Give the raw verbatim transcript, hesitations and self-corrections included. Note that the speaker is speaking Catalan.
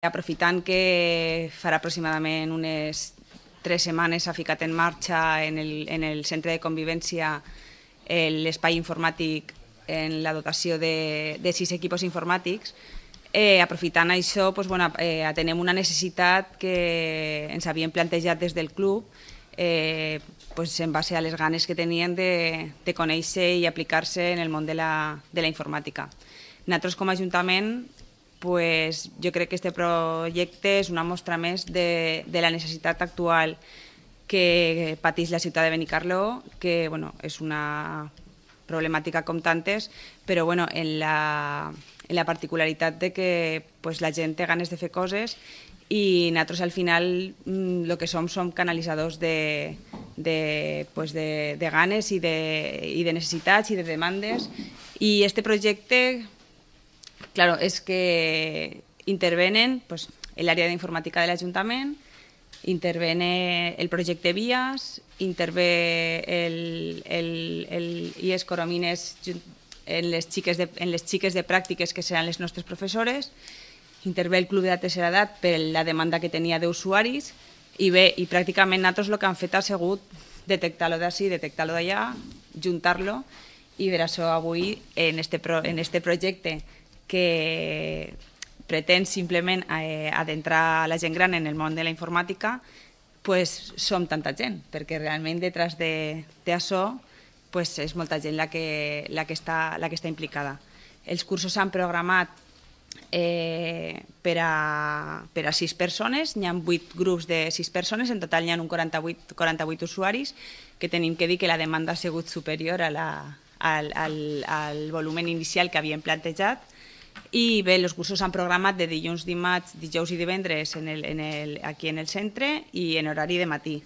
Aprofitant que farà aproximadament unes tres setmanes s'ha ficat en marxa en el, en el centre de convivència l'espai informàtic en la dotació de, de sis equipos informàtics, eh, aprofitant això doncs, bueno, eh, atenem una necessitat que ens havíem plantejat des del club eh, doncs, en base a les ganes que tenien de, de conèixer i aplicar-se en el món de la, de la informàtica. Nosaltres com a Ajuntament pues jo crec que aquest projecte és una mostra més de, de la necessitat actual que pateix la ciutat de Benicarló, que bueno, és una problemàtica com tantes, però bueno, en, la, en la particularitat de que pues, la gent té ganes de fer coses i nosaltres al final el que som som canalitzadors de, de, pues, de, de ganes i de, i de necessitats i de demandes, i este projecte claro, és que intervenen pues, l'àrea d'informàtica de l'Ajuntament, intervene el projecte Vías, intervé el, el, el I E S Coromines en les, xiques de, en les xiques de pràctiques que seran les nostres professores, intervé el Club de la Tercera Edat per la demanda que tenia d'usuaris i bé, i pràcticament nosaltres el que han fet ha sigut detectar-lo d'ací, detectar-lo d'allà, juntar-lo, i per això avui en este, pro, en este projecte que pretén simplement eh, adentrar la gent gran en el món de la informàtica, pues, som tanta gent, perquè realment detrás d'això pues, és molta gent la que, la, que està, la que està implicada. Els cursos s'han programat eh, per, a, per a sis persones, n'hi ha vuit grups de sis persones, en total n'hi ha un quaranta-vuit, quaranta-vuit usuaris, que tenim que dir que la demanda ha sigut superior a la, al, al, al volumen inicial que havíem plantejat. I bé, els cursos s'han programat de dilluns, dimarts, dijous i divendres en el, en el, aquí en el centre i en horari de matí.